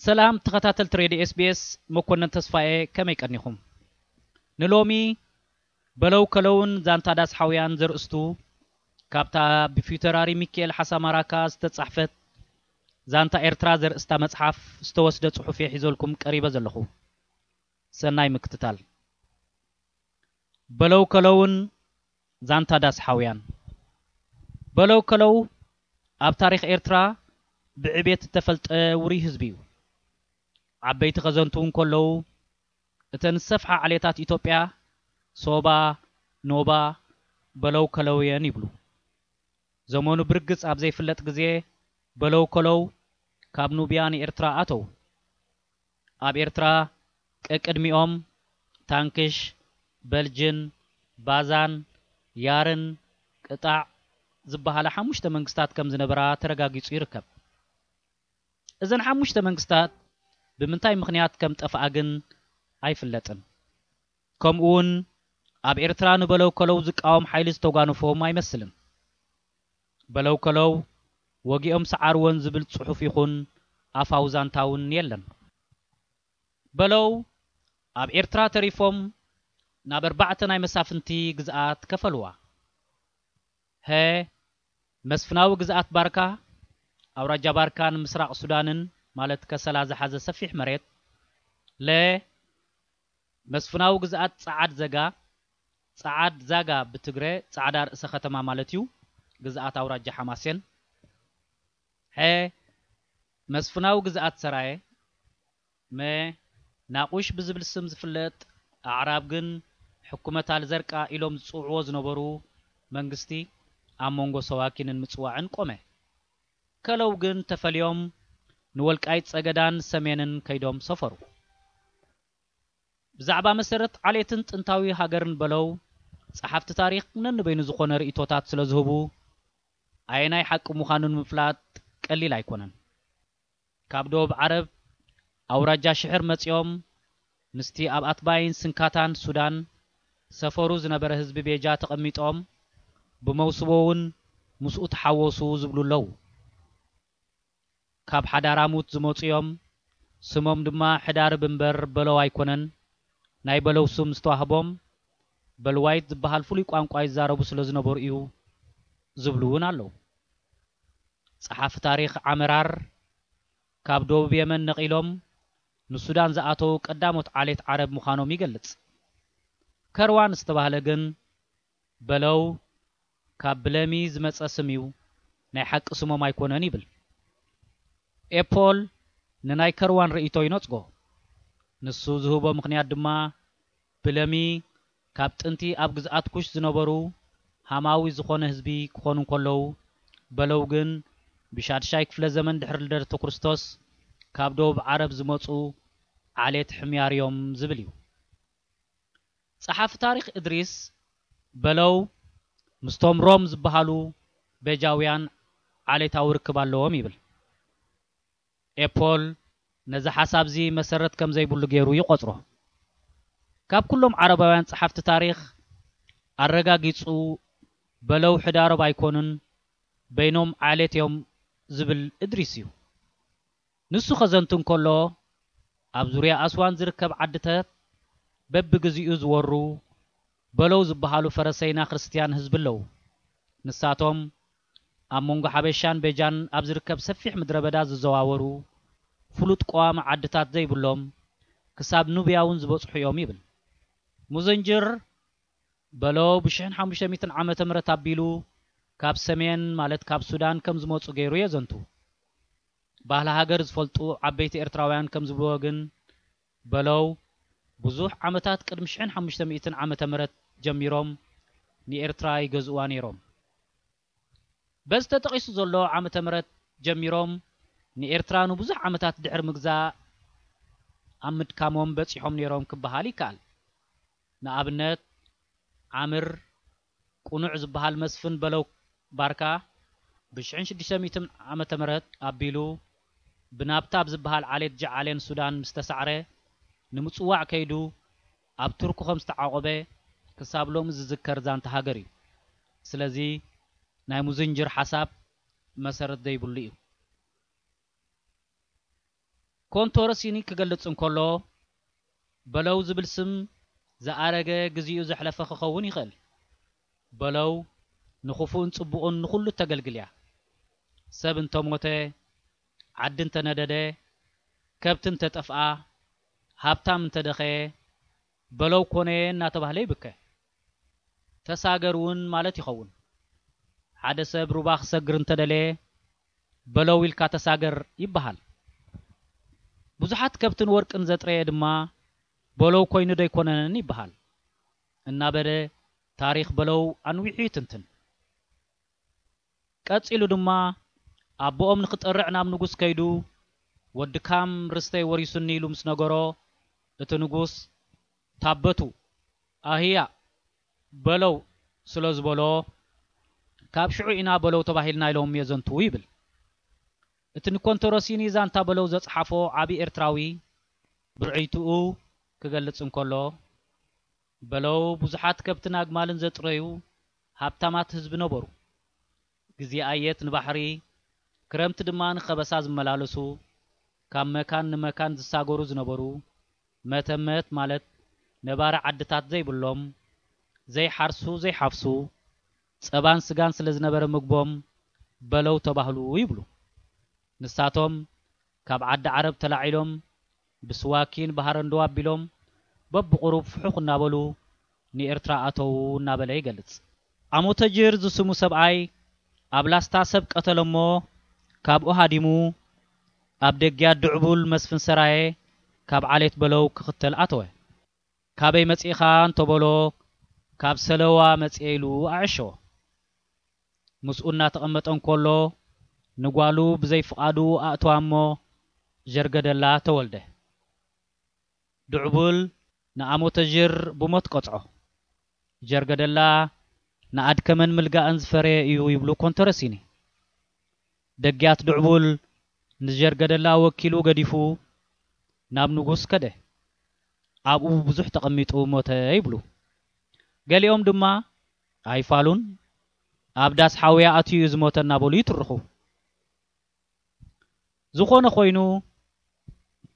ሰላም ተኸታተልቲ ሬድዮ ኤስቢኤስ፣ መኮነን ተስፋዬ፣ ከመይ ቀኒኹም? ንሎሚ በለው ከለውን ዛንታ ዳስ ሓውያን ዘርእስቱ ካብታ ብፊውተራሪ ሚካኤል ሓሳማራካ ዝተጻሕፈት ዛንታ ኤርትራ ዘርእስታ መጽሓፍ ዝተወስደ ጽሑፍ እየ ሒዘልኩም ቀሪበ ዘለኹ። ሰናይ ምክትታል። በለው ከለውን ዛንታ ዳስ ሓውያን። በለው ከለው ኣብ ታሪኽ ኤርትራ ብዕቤት እተፈልጠ ውሩይ ህዝቢ እዩ። ዓበይቲ ከዘንትዉ እንከለዉ፣ እተን ዝሰፍሓ ዓሌታት ኢትዮጵያ ሶባ፣ ኖባ፣ በለው ከለውየን ይብሉ። ዘመኑ ብርግጽ ኣብ ዘይፍለጥ ግዜ በለው ከለው ካብ ኑብያ ንኤርትራ ኣተው። ኣብ ኤርትራ ቀቅድሚኦም ታንክሽ፣ በልጅን፣ ባዛን፣ ያርን፣ ቅጣዕ ዝበሃላ ሓሙሽተ መንግስታት ከም ዝነበራ ተረጋጊጹ ይርከብ። እዘን ሓሙሽተ መንግስታት ብምንታይ ምኽንያት ከም ጠፍኣ ግን ኣይፍለጥን። ከምኡውን ኣብ ኤርትራ ንበለው ከለው ዝቃወም ሓይሊ ዝተጓነፎም ኣይመስልን። በለው ከለው ወጊኦም ሰዓርወን ዝብል ጽሑፍ ይኹን ኣፋዊ ዛንታ እውን የለን። በለው ኣብ ኤርትራ ተሪፎም ናብ ኣርባዕተ ናይ መሳፍንቲ ግዝኣት ከፈልዋ። ሀ፣ መስፍናዊ ግዝኣት ባርካ፣ ኣውራጃ ባርካን ምስራቕ ሱዳንን፣ ማለት ከሰላ ዝሓዘ ሰፊሕ መሬት። ለ፣ መስፍናዊ ግዝኣት ጸዓድ ዘጋ፣ ጸዓድ ዛጋ ብትግረ ጻዕዳ ርእሰ ከተማ ማለት እዩ፣ ግዝኣት ኣውራጃ ሓማሴን። ሐ፣ መስፍናዊ ግዝኣት ሰራየ። መ፣ ናቑሽ ብዝብል ስም ዝፍለጥ፣ ኣዕራብ ግን ሕኩመት ኣልዘርቃ ኢሎም ዝጽውዕዎ ዝነበሩ መንግስቲ ኣብ መንጎ ሰዋኪንን ምጽዋዕን ቆመ። ከለው ግን ተፈልዮም ንወልቃይት ጸገዳን ሰሜንን ከይዶም ሰፈሩ። ብዛዕባ መሰረት ዓሌትን ጥንታዊ ሃገርን በለው ጸሓፍቲ ታሪኽ ነንበይኑ ዝኾነ ርእይቶታት ስለ ዝህቡ፣ ኣየናይ ሓቂ ምዃኑ ንምፍላጥ ቀሊል ኣይኮነን። ካብ ደቡብ ዓረብ ኣውራጃ ሽሕር መጺኦም ምስቲ ኣብ ኣትባይን ስንካታን ሱዳን ሰፈሩ ዝነበረ ህዝቢ ቤጃ ተቐሚጦም ብመውስቦ እውን ምስኡ ተሓወሱ ዝብሉ ኣለዉ። ካብ ሓዳራሙት ዝመጹ እዮም። ስሞም ድማ ሕዳርብ እምበር በለው ኣይኮነን። ናይ በለው ስም ዝተዋህቦም በልዋይት ዝበሃል ፍሉይ ቋንቋ ይዛረቡ ስለ ዝነበሩ እዩ ዝብሉ እውን ኣለዉ። ጸሓፊ ታሪኽ ዓመራር ካብ ደቡብ የመን ነቒሎም ንሱዳን ዝኣተዉ ቀዳሞት ዓሌት ዓረብ ምዃኖም ይገልጽ። ከርዋን ዝተባህለ ግን በለው ካብ ብለሚ ዝመጸ ስም እዩ፣ ናይ ሓቂ ስሞም ኣይኮነን ይብል። ኤፖል ንናይ ከርዋን ርእይቶ ይነጽጎ። ንሱ ዝህቦ ምኽንያት ድማ ብለሚ ካብ ጥንቲ ኣብ ግዝኣት ኩሽ ዝነበሩ ሃማዊ ዝኾነ ህዝቢ ክኾኑ እንከለዉ፣ በለው ግን ብሻድሻይ ክፍለ ዘመን ድሕሪ ልደተ ክርስቶስ ካብ ደቡብ ዓረብ ዝመጹ ዓሌት ሕምያር እዮም ዝብል እዩ። ጸሓፊ ታሪኽ እድሪስ በለው ምስቶም ሮም ዝበሃሉ ቤጃውያን ዓሌታዊ ርክብ ኣለዎም ይብል። ኤፖል ነዚ ሓሳብዚ መሰረት ከም ዘይብሉ ገይሩ ይቖጽሮ። ካብ ኩሎም ዓረባውያን ጸሓፍቲ ታሪኽ ኣረጋጊጹ በለው ሕዳሮብ ኣይኮኑን፣ በይኖም ዓሌት እዮም ዝብል እድሪስ እዩ። ንሱ ከዘንቱ እንከሎ፣ ኣብ ዙርያ ኣስዋን ዝርከብ ዓድታት በብግዚኡ ዝወሩ በለው ዝበሃሉ ፈረሰይና ክርስትያን ህዝቢ ኣለዉ። ንሳቶም ኣብ መንጎ ሓበሻን ቤጃን ኣብ ዝርከብ ሰፊሕ ምድረ በዳ ዝዘዋወሩ ፍሉጥ ቀዋሚ ዓድታት ዘይብሎም ክሳብ ኑብያ እውን ዝበጽሑ እዮም ይብል። ሙዘንጅር በለው ብሽሕን ሓሙሽተ ሚእትን ዓመተ ምህረት ኣቢሉ ካብ ሰሜን ማለት ካብ ሱዳን ከም ዝመጹ ገይሩ የዘንቱ። ባህሊ ሃገር ዝፈልጡ ዓበይቲ ኤርትራውያን ከም ዝብልዎ ግን በለው ብዙሕ ዓመታት ቅድሚ ሽሕን ሓሙሽተ ሚእትን ዓመተ ምህረት ጀሚሮም ንኤርትራ ይገዝእዋ ነይሮም። በዚ ተጠቒሱ ዘሎ ዓመተ ምህረት ጀሚሮም ንኤርትራ ንብዙሕ ዓመታት ድሕሪ ምግዛእ ኣብ ምድካሞም በጺሖም ነይሮም ክበሃል ይከኣል። ንኣብነት ዓምር ቁኑዕ ዝበሃል መስፍን በለው ባርካ ብሽሕን ሽዱሽተ ሚእትን ዓመተ ምህረት ኣቢሉ ብናብታ ኣብ ዝበሃል ዓሌት ጀዓሌን ሱዳን ምስ ተሳዕረ ንምጽዋዕ ከይዱ ኣብ ቱርኩ ከም ዝተዓቖበ ክሳብ ሎሚ ዝዝከር ዛንታ ሃገር እዩ። ስለዚ ናይ ሙዝንጅር ሓሳብ መሰረት ዘይብሉ እዩ። ኮንቶረሲኒ ክገልጽ እንከሎ፣ በለው ዝብል ስም ዝኣረገ፣ ግዜኡ ዘሕለፈ ክኸውን ይኽእል። በለው ንኽፉእን ጽቡቕን ንኹሉ እተገልግል እያ። ሰብ እንተሞተ፣ ዓዲ እንተነደደ፣ ከብቲ እንተጠፍኣ፣ ሃብታም እንተደኸየ፣ በለው ኮነየ እናተባህለ ይብከ። ተሳገር እውን ማለት ይኸውን። ሓደ ሰብ ሩባ ክሰግር እንተደለየ፣ በለው ኢልካ ተሳገር ይበሃል። ብዙሓት ከብትን ወርቅን ዘጥረየ ድማ፣ በለው ኮይኑ ዶ ኣይኮነን ይበሃል። እናበለ ታሪኽ በለው ኣንዊሑ ይትንትን። ቀጺሉ ድማ፣ ኣቦኦም ንኽጠርዕ ናብ ንጉስ ከይዱ፣ "ወዲ ካም ርስተይ ወሪሱኒ" ኢሉ ምስ ነገሮ፣ እቲ ንጉስ፣ "ታበቱ ኣህያ በለው" ስለ ዝበሎ፣ ካብ ሽዑ ኢና በለው ተባሂልና ኢሎም የዘንትዉ ይብል። እቲ ንኮንቶረሲኒ ዛንታ በለው ዘጽሓፎ ዓቢ ኤርትራዊ ብርዕይትኡ ክገልጽ እንከሎ፣ በለው ብዙሓት ከብትን ኣግማልን ዘጥረዩ ሃብታማት ህዝቢ ነበሩ። ግዜ ኣየት ንባሕሪ፣ ክረምቲ ድማ ንኸበሳ ዝመላለሱ፣ ካብ መካን ንመካን ዝሳገሩ ዝነበሩ፣ መተመት ማለት ነባሪ ዓድታት ዘይብሎም፣ ዘይሓርሱ ዘይሓፍሱ፣ ጸባን ስጋን ስለ ዝነበረ ምግቦም በለው ተባህሉ ይብሉ። ንሳቶም ካብ ዓዲ ዓረብ ተላዒሎም ብስዋኪን ብሃረንዶ ኣቢሎም በብቑሩብ ፍሑኽ እናበሉ ንኤርትራ ኣተዉ እናበለ ይገልጽ። ኣሞተጅር ዝስሙ ሰብኣይ ኣብ ላስታ ሰብ ቀተለ እሞ ካብኡ ሃዲሙ ኣብ ደግያ ድዕቡል መስፍን ሰራየ ካብ ዓሌት በለው ክኽተል ኣተወ። "ካበይ መጺእኻ?" እንተበሎ፣ "ካብ ሰለዋ መጺኤ" ኢሉ ኣዐሸወ። ምስኡ እናተቐመጠ እንከሎ፣ ንጓሉ ብዘይ ፍቓዱ ኣእተዋ እሞ፣ ጀርገደላ ተወልደ። ድዕቡል ንኣሞተዥር ብሞት ቀጽዖ። ጀርገደላ ንኣድከመን ምልጋእን ዝፈረየ እዩ ይብሉ ኮንተረሲኒ። ደግያት ድዕቡል ንጀርገደላ ወኪሉ ገዲፉ ናብ ንጉስ ከደ። ኣብኡ ብዙሕ ተቐሚጡ ሞተ ይብሉ። ገሊኦም ድማ ኣይፋሉን፣ ኣብ ዳስ ሓውያ ኣትዩ እዩ ዝሞተ እናበሉ ይትርኹ። ዝኾነ ኮይኑ፣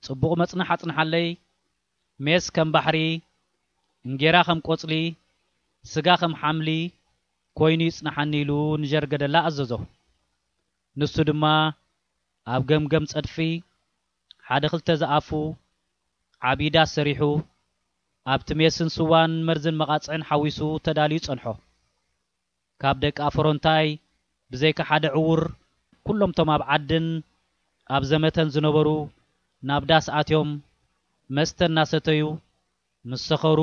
"ጽቡቕ መጽናሕ ኣጽንሓለይ፣ ሜስ ከም ባሕሪ፣ እንጌራ ከም ቆጽሊ፣ ስጋ ከም ሓምሊ ኮይኑ ይጽናሓኒ" ኢሉ ንጀርገደላ ኣዘዞ። ንሱ ድማ ኣብ ገምገም ጸድፊ ሓደ ክልተ ዝኣፉ ዓቢ ዳስ ሰሪሑ፣ ኣብቲ ሜስን ስዋን መርዝን መቓጽዕን ሓዊሱ ተዳልዩ ጸንሖ። ካብ ደቂ ኣፈሮንታይ ብዘይካ ሓደ ዕዉር፣ ኩሎም እቶም ኣብ ዓድን ኣብ ዘመተን ዝነበሩ ናብ ዳስ ኣትዮም መስተ እናሰተዩ፣ ምስ ሰኸሩ፣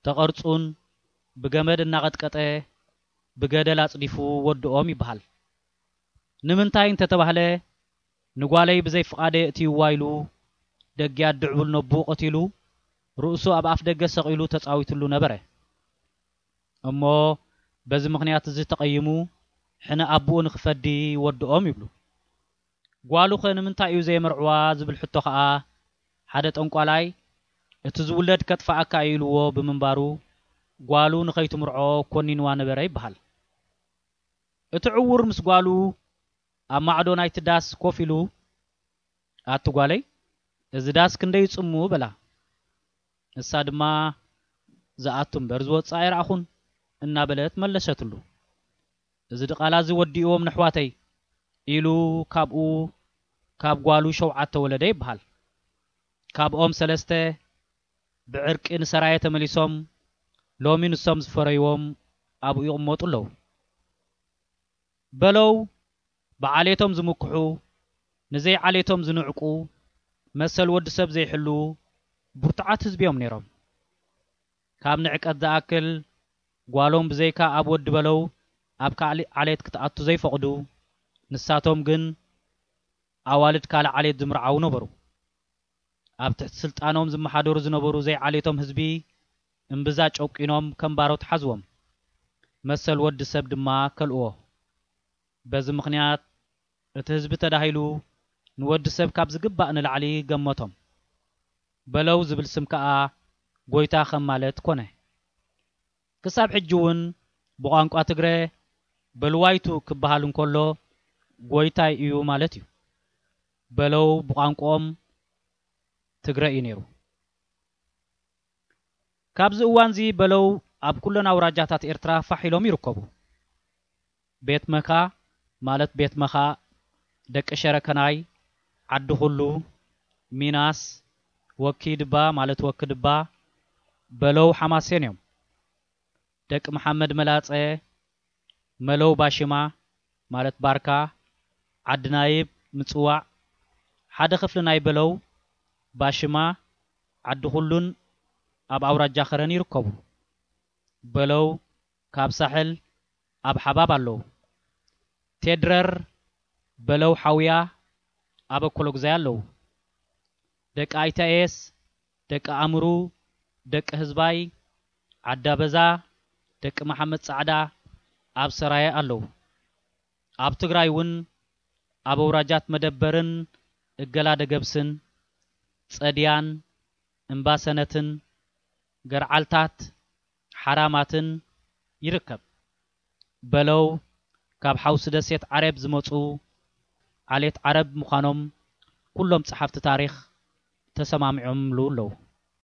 ተቐርጹን ብገመድ እናቐጥቀጠ ብገደል ኣጽዲፉ ወድኦም ይበሃል። ንምንታይ እንተተባህለ፣ ንጓለይ ብዘይ ፍቓደይ ኣእትይዋ ኢሉ፣ ደግያት ድዕቡል ነብኡ ቀቲሉ፣ ርእሱ ኣብ ኣፍ ደገ ሰቒሉ ተጻዊትሉ ነበረ። እሞ በዚ ምኽንያት እዚ ተቐይሙ፣ ሕነ ኣቦኡ ንኽፈዲ ወድኦም ይብሉ። ጓሉኸ ንምንታይ እዩ ዘየመርዕዋ ዝብል ሕቶ ኸኣ፣ ሓደ ጠንቋላይ፣ "እቲ ዝውለድ ከጥፍኣካ እዩ" ኢልዎ ብምንባሩ፣ ጓሉ ንኸይትምርዖ ኮኒንዋ ነበረ ይበሃል። እቲ ዕዉር ምስ ጓሉ ኣብ ማዕዶ ናይቲ ዳስ ኮፍ ኢሉ፣ "ኣቲ ጓለይ፣ እዚ ዳስ ክንደይ ጽሙ?" በላ። ንሳ ድማ፣ "ዝኣቱ እምበር ዝወጽእ ኣይረኣኹን" እናበለት መለሰትሉ። "እዚ ድቓላ እዚ ወዲእዎም ነሕዋተይ" ኢሉ ካብኡ፣ ካብ ጓሉ ሸውዓተ ወለደ ይበሃል። ካብኦም ሰለስተ ብዕርቂ ንሰራየ ተመሊሶም፣ ሎሚ ንሶም ዝፈረይዎም ኣብኡ ይቕመጡ ኣለዉ። በለው ብዓሌቶም ዝምክሑ፣ ንዘይዓሌቶም ዝንዕቁ፣ መሰል ወዲ ሰብ ዘይሕልዉ ብርቱዓት ህዝቢ እዮም ነይሮም። ካብ ንዕቀት ዝኣክል፣ ጓሎም ብዘይካ ኣብ ወዲ በለው ኣብ ካልእ ዓሌት ክትኣቱ ዘይፈቕዱ፣ ንሳቶም ግን ኣዋልድ ካልእ ዓሌት ዝምርዓዉ ነበሩ። ኣብ ትሕቲ ስልጣኖም ዝመሓደሩ ዝነበሩ ዘይዓሌቶም ህዝቢ እምብዛ ጨቂኖም ከም ባሮት ሓዝዎም። መሰል ወዲ ሰብ ድማ ከልእዎ። በዚ ምኽንያት እቲ ህዝቢ ተዳሂሉ ንወዲ ሰብ ካብ ዝግባእ ንላዕሊ ገመቶም። በለው ዝብል ስም ከኣ ጎይታ ከም ማለት ኮነ። ክሳብ ሕጂ እውን ብቋንቋ ትግረ በልዋይቱ ክበሃል እንከሎ ጎይታይ እዩ ማለት እዩ። በለው ብቋንቋኦም ትግረ እዩ ነይሩ። ካብዚ እዋንዚ በለው ኣብ ኩለን ኣውራጃታት ኤርትራ ፋሕ ኢሎም ይርከቡ። ቤት መካ ማለት ቤት መኻ፣ ደቂ ሸረከናይ፣ ዓዲ ኩሉ፣ ሚናስ፣ ወኪ ድባ ማለት ወኪ ድባ፣ በለው ሓማሴን እዮም። ደቂ መሓመድ መላጸ፣ መለው ባሽማ ማለት ባርካ፣ ዓዲ ናይብ፣ ምጽዋዕ፣ ሓደ ክፍሊ ናይ በለው፣ ባሽማ፣ ዓዲ ኩሉን ኣብ ኣውራጃ ከረን ይርከቡ። በለው ካብ ሳሕል ኣብ ሓባብ ኣለዉ። ቴድረር፣ በለው ሓውያ ኣብ ኣኮሎጉዛይ ኣለዉ። ደቂ ኣይታኤስ፣ ደቂ ኣምሩ፣ ደቂ ህዝባይ፣ ዓዳበዛ፣ ደቂ መሓመድ ጻዕዳ ኣብ ሰራየ ኣለዉ። ኣብ ትግራይ እውን ኣብ ኣውራጃት መደበርን እገላ ደገብስን፣ ጸድያን፣ እምባሰነትን፣ ገርዓልታት፣ ሓራማትን ይርከብ። በለው ካብ ሓውሲ ደሴት ዓረብ ዝመጹ ዓሌት ዓረብ ምዃኖም ኩሎም ጸሓፍቲ ታሪኽ ተሰማሚዖምሉ ኣለዉ።